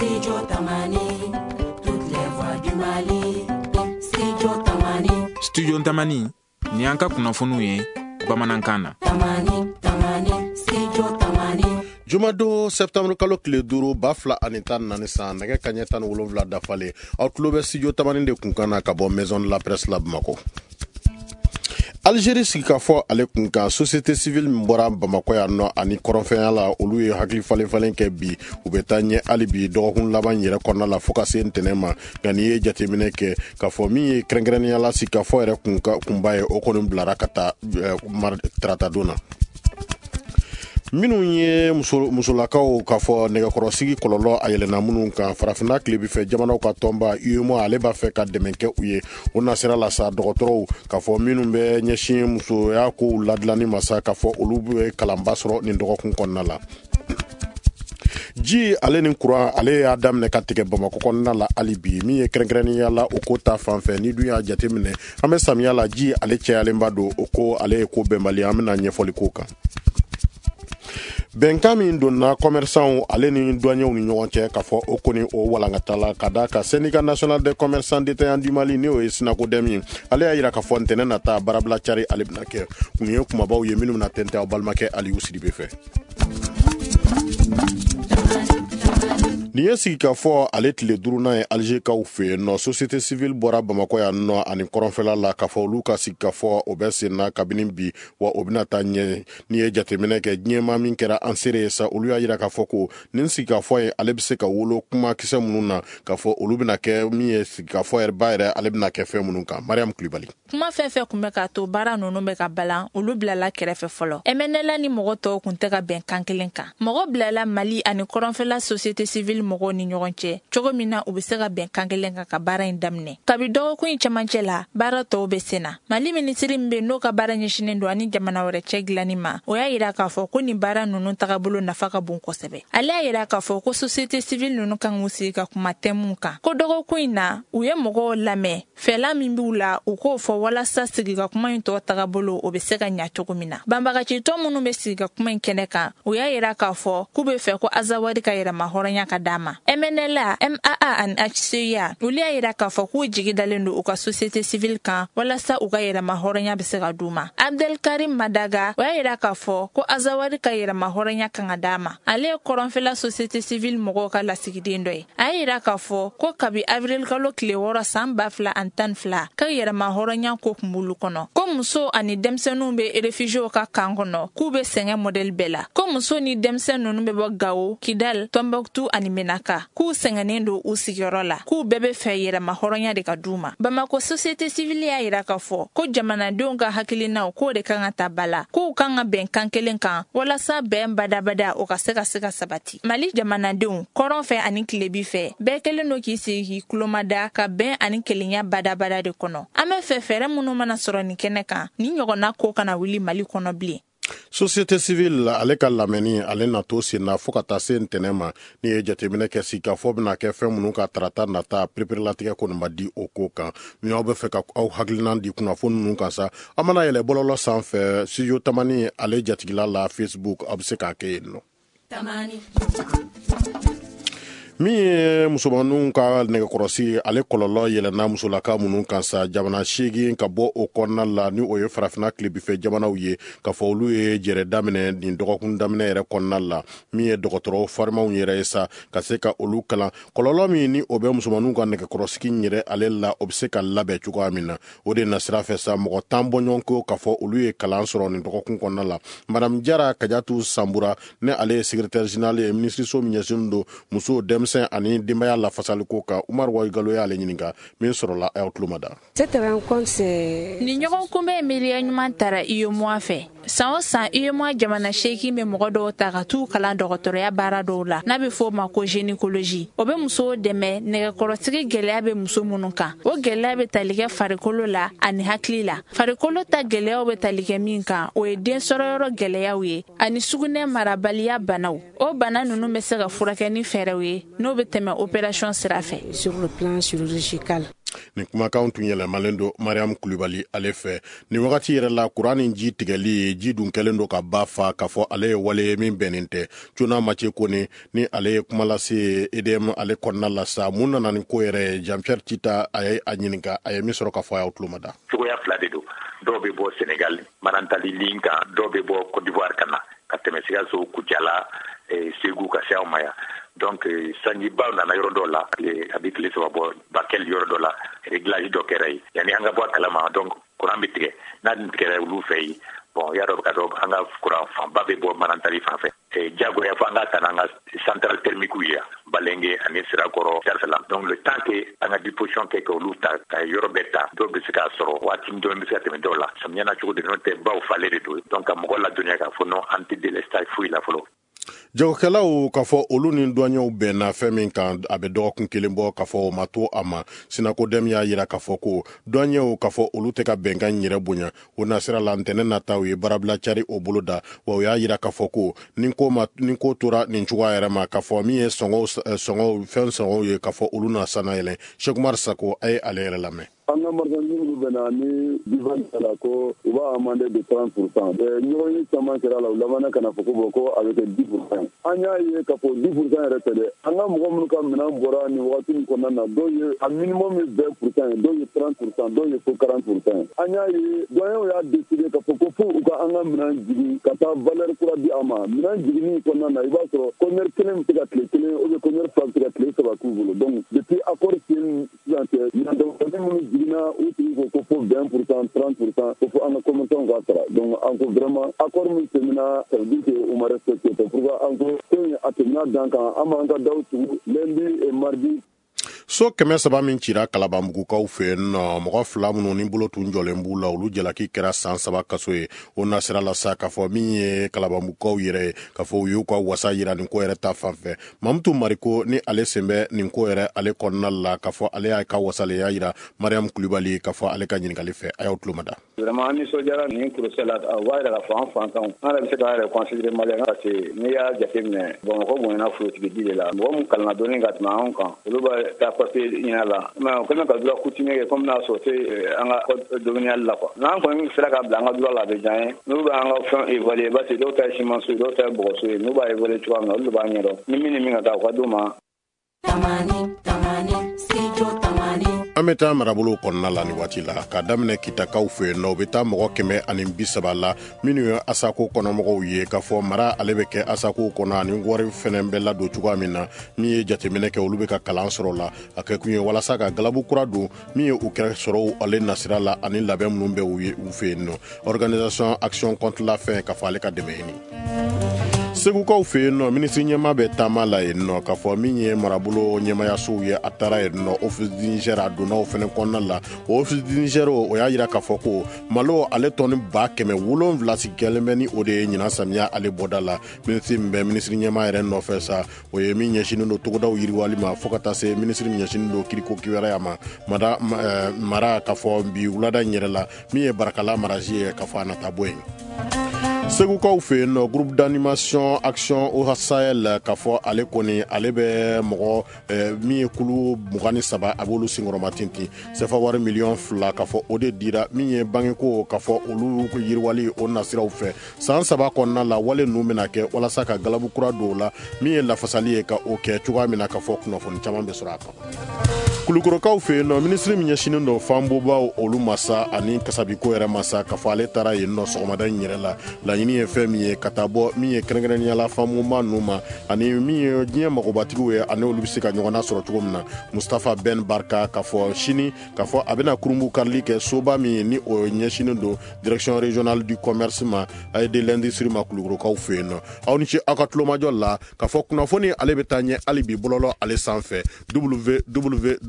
Studio Tamani, toutes les voix du Mali. Studio Tamani. Studio Tamani, ni an ka kunnafoniw ye bamanankan na. Tamani, Tamani, Studio Tamani. Jumadon septembre kalo tile 5 2014 san, nɛgɛ kaɲɛ 17 dafalen, aw tulo bɛ Studio Tamani de kunkan na ka bɔ Maison de la Presse la Bamakɔ. Algérie sigikafɔ ale kun kan, société civile min bɔra Bamakɔ yan nɔ ani kɔrɔnfɛnya la, olu ye hakili falen falen kɛ bi. U bɛ taa ɲɛ hali bi dɔgɔkun laban yɛrɛ kɔnɔna la fo ka se ntɛnɛn ma. Nka n'i ye jateminɛ kɛ k'a fɔ min ye kɛrɛnkɛrɛnnenya la sigikafɔ yɛrɛ kunba ye, o kɔni bilara ka taa taratadon na. Minnu ye musolakaw k'a fɔ nɛgɛkɔrɔsigi kɔlɔlɔ a yɛlɛnna minnu kan, farafinna tilebinfɛ jamanaw ka tɔnba UEMOA ale b'a fɛ ka dɛmɛ kɛ u ye. O nasira la sa, dɔgɔtɔrɔw k'a fɔ minnu bɛ ɲɛsin musoya kow ladilanni ma sa, k'a fɔ olu bɛ kalanba sɔrɔ nin dɔgɔkun kɔnɔna la. Ji ale ni kuran ale y'a daminɛ ka tigɛ Bamakɔ kɔnɔna la hali bi, min ye kɛrɛnkɛrɛnnenya la o ko ta fan fɛ. Ni dun y'a jateminɛ, an bɛ samiya la, ji ale cɛyalenba don, o ko ale ye ko bɛnbali. An bɛna ɲɛfɔli k'o kan. Bɛnkan min donna commerçants ale ni douaniers ni ɲɔgɔn cɛ, k'a fɔ o kɔni o walankata la ka da ka syndicat national des commerçants détaillants du Mali, n'o ye SYNACODEM ye, ale y'a jira k'a fɔ ntɛnɛn nata baarabila cari ale bɛna kɛ. Kun ye kumabaw ye minnu bɛna tɛntɛn aw balimakɛ Aliyu Sidibe fɛ. Nin ye sigikafɔ ale tile 5nan ye Algékaw fɛ yen nɔ. Société civile bɔra Bamakɔ yan nɔ ani kɔrɔnfɛla la k'a fɔ olu ka sigikafɔ o bɛ sen na kabini bi, wa o bɛna taa ɲɛ. N'i ye jateminɛ kɛ, diɲɛmaa min kɛra an seere ye sa, olu y'a jira k'a fɔ ko nin sigikafɔ ye ale bɛ se ka wolo kumakisɛ minnu na, k'a fɔ olu bɛna kɛ min ye sigikafɔ yɛrɛ ba yɛrɛ ale bɛna kɛ fɛn minnu kan. Mariam Kulibali. Kuma fɛn fɛn kun bɛ k'a to baara ninnu bɛ ka balan, olu bilala kɛrɛfɛ fɔlɔ. MNLA ni mɔgɔ tɔw kun tɛ ka bɛn kan kelen kan. Mɔgɔ bilala Mali ani kɔrɔnfɛla société civile mɔgɔw ni ɲɔgɔn cɛ cogo min na u bɛ se ka bɛn kan kelen kan ka baara in daminɛ. Kabi dɔgɔkun in cɛmancɛ la, baara tɔw bɛ sen na. Mali minisiri min bɛ n'o ka baara ɲɛsinnen don ani jamana wɛrɛ cɛ dilanni ma, o y'a jira k'a fɔ ko nin baara ninnu tagabolo nafa ka bon kosɛbɛ. Ale y'a jira k'a fɔ ko société civile ninnu kan k'u sigi ka kuma thème kan. Ko dɔgɔkun in na, u ye mɔgɔw lamɛn, fɛla min b'u la, u k'o fɔ walasa sigi ka kuma in tɔ tagabolo o bɛ se ka ɲa cogo min na. Banbagacitɔ minnu bɛ sigi ka kuma in kɛnɛ kan, u y'a jira k'a fɔ k'u bɛ fɛ ko Azawadi ka yɛrɛma hɔrɔnya ka d'a ma. MNLA, MAA ani HCUA, olu y'a jira k'a fɔ k'u jigi dalen don u ka société civile kan walasa u ka yɛrɛma hɔrɔnya bɛ se ka d'u ma. Abdelkarim Madaga, o y'a jira k'a fɔ ko Azawadi ka yɛrɛma hɔrɔnya kan ka d'a ma. Ale ye kɔrɔnfɛla société civile mɔgɔw ka lasigiden dɔ ye. A y'a jira k'a fɔ ko kabi avril kalo tile 6 san 2012 ka yɛrɛma hɔrɔnya ko kun b'olu kɔnɔ. Ko muso ani denmisɛnninw bɛ réfugiés ka kan kɔnɔ, k'u bɛ sɛgɛn modèle bɛɛ la. Ko muso ni denmisɛn ninnu bɛ bɔ Gao, Kidal, Tombouctou ani Menaka, k'u sɛgɛnnen don u sigiyɔrɔ la, k'u bɛɛ bɛ fɛ yɛrɛma hɔrɔnya de ka d'u ma. Bamakɔ société civile y'a jira k'a fɔ ko jamanadenw ka hakilinaw k'o de kan ka ta ba la, k'u kan ka bɛn kan kelen kan walasa bɛn badabada o ka se ka sabati. Mali jamanadenw kɔrɔn fɛ ani tilebi fɛ, bɛɛ kɛlen don k'i sigi k'i tulomada ka bɛn ani kelenya badabada de kɔnɔ. An bɛ fɛ fɛɛrɛ minnu mana sɔrɔ nin kɛnɛ kan, ni ɲɔgɔnna ko kana wuli Mali kɔnɔ bilen. Société civile ale ka lamɛnni ale na to sen na fo ka taa se ntɛnɛn ma. N'i ye jateminɛ kɛ, sigikafɔ bɛna kɛ fɛn minnu ka tarata nata, pereperelatigɛ kɔni ma di o ko kan. Ni aw bɛ fɛ ka aw hakilinan di kunnafoni ninnu kan sa, aw mana yɛlɛ bɔlɔlɔ sanfɛ Studio Tamani ale jatigila la Facebook, aw bɛ se k'a kɛ yen nɔ. Min ye musomaninw ka nɛgɛkɔrɔsi ale kɔlɔlɔ yɛlɛnna musolaka minnu kan sa, jamana 8 ka bɔ o kɔnɔna la, ni o ye farafinna tilebinfɛ jamanaw ye, k'a fɔ olu ye jɛrɛ daminɛ nin dɔgɔkun daminɛ yɛrɛ kɔnɔna la. Min ye dɔgɔtɔrɔ farimanw yɛrɛ ye sa, ka se ka olu kalan kɔlɔlɔ min ni o bɛ musomaninw ka nɛgɛkɔrɔsigi yɛrɛ ale la, o bɛ se ka labɛn cogoya min na. O de nasira fɛ sa, mɔgɔ 10 bɔɲɔgɔnko k'a fɔ olu ye kalan sɔrɔ nin dɔgɔkun kɔnɔna la. Madame Jara Kajatu Sanbura, ni ale ye secrétaire général ye minisiriso min ɲɛsinnen don musow, denmisɛn ani denbaya lafasaliko kan, Umar Wayigalo y'ale ɲininka min sɔrɔla aw tulo ma da. Nin ɲɔgɔn kunbɛn miiriya ɲuman tara UEMOA fɛ. San o san, UEMOA jamana 8 bɛ mɔgɔ dɔw ta ka t'u kalan dɔgɔtɔrɔya baara dɔw la, n'a bɛ fɔ o ma ko gynécologie. O bɛ musow dɛmɛ nɛgɛkɔrɔsigi gɛlɛya bɛ muso minnu kan. O gɛlɛya bɛ tali kɛ farikolo la ani hakili la. Farikolo ta gɛlɛyaw bɛ tali kɛ min kan, o ye den sɔrɔyɔrɔ gɛlɛyaw ye ani sugunɛ marabaliya banaw. O bana ninnu bɛ se ka furakɛ ni fɛɛrɛw ye n'o bɛ tɛmɛ opération sira fɛ. Sur le plan chirurgical. Nin kumakan tun yɛlɛmalen don Mariam Kulibali ale fɛ. Nin wagati yɛrɛ la, kuran ni ji tigɛli, ji dun kɛlen don ka ba fa, k'a fɔ ale ye wale ye min bɛnnen tɛ. Cona Mace Kone ni ale ye kuma lase EDM ale kɔnɔna la sa, mun nana ni ko yɛrɛ ye? Jean Pierre Tita a ye a ɲininka, a ye min sɔrɔ ka fɔ, a y'aw tulo mada. Cogoya fila de don. Dɔw bɛ bɔ Sénégal, Manantali ligne kan, dɔw bɛ bɔ Côte d'Ivoire ka na ka tɛmɛ Sikaso, Kucala, Segu, ka se anw ma yan. Donc sanjibaw nana yɔrɔ dɔw la, a bɛ tile 3 bɔ, Bakel yɔrɔ dɔ la, réglage dɔ kɛra yen yanni an ka bɔ a kalama. Donc courant bɛ tigɛ, n'a dun tigɛra olu fɛ yen, bon, y'a dɔn ka dɔn an ka courant fanba bɛ bɔ Manantali fan fɛ. Jagoya fo an ka ta n'an ka centrale thermique ye yan, Balenge ani Sirakɔrɔ, Darsala. Donc le temps que an ka disposition kɛ k'olu ta ka yɔrɔ bɛɛ ta, dɔw bɛ se k'a sɔrɔ waati dɔɔni bɛ se ka tɛmɛ dɔw la. Samiya na cogo de, n'o tɛ baw falen de don. Donc ka mɔgɔ ladɔnniya k'a fɔ non, an tɛ délestage foyi la fɔlɔ. Jagokɛlaw, k'a fɔ olu ni douaniers bɛnna fɛn min kan, a bɛ dɔgɔkun kelen bɔ, k'a fɔ o ma to a ma. SYNACODEM y'a yira k'a fɔ ko douaniers, k'a fɔ olu tɛ ka bɛnkan yɛrɛ bonya. O nasira la, ntɛnɛn nata, u ye baarabila cari o bolo da. Wa u y'a yira k'a fɔ ko ni ko ma, ni ko tora nin cogoya yɛrɛ ma, k'a fɔ min ye sɔngɔw sɔngɔw fɛn sɔngɔw ye, k'a fɔ olu na sanna yɛlɛn. Sekumar Sako, a ye ale yɛrɛ lamɛn. An ka marchandise minnu bɛnna ni divan la ko u b'a amender de 30 %, ɲɔgɔn ye caman kɛra la, u labanna ka na fɔ ko bon, ko a bɛ kɛ 10 %. An y'a ye k'a fɔ 10 % yɛrɛ tɛ dɛ. An ka mɔgɔ minnu ka minɛn bɔra nin wagati min kɔnɔna na, dɔw ye a minimum ye 20 % ye, dɔw ye 30 %, dɔw ye fo 40 % ye. An y'a ye douaniers y'a décidé k'a fɔ ko fo u ka an ka minɛn jigin ka taa valeur kura di a ma. Minɛn jiginni kɔnɔna na, i b'a sɔrɔ conteneur kelen bɛ se ka tile kelen ou bien conteneur fila bɛ se ka tile 3 k'u bolo. Donc depuis accord signé sisan cɛ, minɛn damadɔni minnu jiginna, u tigi ko ko fo 20 %, 30 %, ko fo an ka commerçant k'a sara. Donc an ko vraiment, accord min tɛmɛna, ça veut dire que u ma respecté. C'est pourquoi an ko ko in a tɛmɛna dan kan. An b'an ka daw tugu lundi et mardi. So 300 min cira Kalabanbugukaw fɛ yen nɔ, mɔgɔ fila minnu ni bolo tun jɔlen b'u la, olu jalaki kɛra san 3 kaso ye. O nasira la sa, k'a fɔ min ye Kalabanbugukaw yɛrɛ ye, k'a fɔ u y'u ka wasa yira nin ko yɛrɛ ta fan fɛ. Mamutu Mariko ni ale sen bɛ nin ko yɛrɛ ale kɔnɔna la, k'a fɔ ale y'a ka wasaleya yira Mariam Kulibali, k'a fɔ ale ka ɲininkali fɛ, a y'aw tulo mada. Vraiment, an nisɔndiyara nin procès la. O b'a yira k'a fɔ an fantanw, an yɛrɛ bɛ se k'an yɛrɛ considérer malien, parce que n'i y'a jateminɛ, Bamakɔ bonyana forotigi di de la. Mɔgɔ min kalanna dɔɔni ka tɛmɛ anw kan, olu bɛ taa papier ɲini a la, mais o kɛlen ka droit coutumier kɛ comme n'a sɔrɔ tɛ an ka code domanial la quoi. N'an kɔni sera ka bila an ka droit la, a bɛ diya an ye. N'u bɛ an ka fɛn évaluer, parce que dɔw ta ye ciment so ye, dɔw ta ye bɔgɔso ye, n'u b'a évaluer cogoya min na, olu de b'a ɲɛdɔn. Ni min ni min ka kan, u ka d'u ma. Tamani, Tamani, Studio Tamani. An bɛ taa marabolo kɔnɔna la nin waati la, ka daminɛ Kitakaw fɛ yen nɔ. U bɛ taa mɔgɔ 130 la minnu ye Asako kɔnɔmɔgɔw ye, k'a fɔ mara ale bɛ kɛ Asako kɔnɔ ani wari fɛnɛ bɛ ladon cogoya min na. Min ye jateminɛ kɛ, olu bɛ ka kalan sɔrɔ la. A kɛ kun ye walasa ka galabu kura don min ye u kɛra sɔrɔw ale nasira la ani labɛn minnu bɛ u ye u fɛ yen nɔ. Organisation Action contre la faim, k'a fɔ ale ka dɛmɛ ɲini. Segukaw fɛ yen nɔ, minisiri ɲɛma bɛ taama la yen nɔ, k'a fɔ min ye marabolo ɲɛmayasow ye, a taara yen nɔ, Office du Niger, a donna o fɛnɛ kɔnɔna la. O Office du Niger, o y'a yira k'a fɔ ko malo ale tɔni 700,000 sigi kɛlen bɛ ni o de ye ɲinan samiya ale bɔda la. Minisiri min bɛ minisiri ɲɛma yɛrɛ nɔfɛ sa, o ye min ɲɛsinnen don togodaw yiriwali ma, fo ka taa se minisiri min ɲɛsinnen don kiriko kibaruya ma mara, k'a fɔ bi wulada in yɛrɛ la, min ye Barakala marasi ye, k'a fɔ a nata bɔ yen. Segukaw fɛ yen nɔ, groupe d'animation Action au Sahel, k'a fɔ ale kɔni ale bɛ mɔgɔ min ye kulu 23, a b'olu senkɔrɔma tintin. Sefa wari miliyɔn 2, k'a fɔ o de dira min ye bangeko, k'a fɔ olu yiriwali o nasiraw fɛ san 3 kɔnɔna la. Wale ninnu bɛna kɛ walasa ka galabu kura don o la, min ye lafasali ye ka o kɛ cogoya min na, k'a fɔ kunnafoni caman bɛ sɔrɔ a kan. Kulukorokaw fɛ yen nɔ, minisiri min ɲɛsinnen don fanbobaw olu masa ani kasabiko yɛrɛ masa, k'a fɔ ale taara yen nɔ sɔgɔmada in yɛrɛ la. Laɲini ye fɛn min ye, ka taa bɔ min ye kɛrɛnkɛrɛnnenya la fanbonba ninnu ma ani min ye diɲɛ magobatigiw ye, ani olu bɛ se ka ɲɔgɔn sɔrɔ cogo min na. Mustafa Ben Barka, k'a fɔ sini, k'a fɔ a bɛna kurunbu karili kɛ soba min ni o ɲɛsinnen don Direction régionale du commerce ma et de l'industrie ma, Kulukorokaw fɛ yen nɔ. Aw ni ce aw ka tulomajɔ la. K'a fɔ kunnafoni ale bɛ taa ɲɛ hali bi bɔlɔlɔ ale sanfɛ,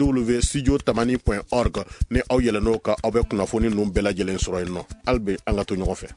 www.studiotamani.org. Ni aw yɛlɛn'o kan, aw bɛ kunnafoni ninnu bɛɛ lajɛlen sɔrɔ yen nɔ. Hali bi an ka to ɲɔgɔn fɛ.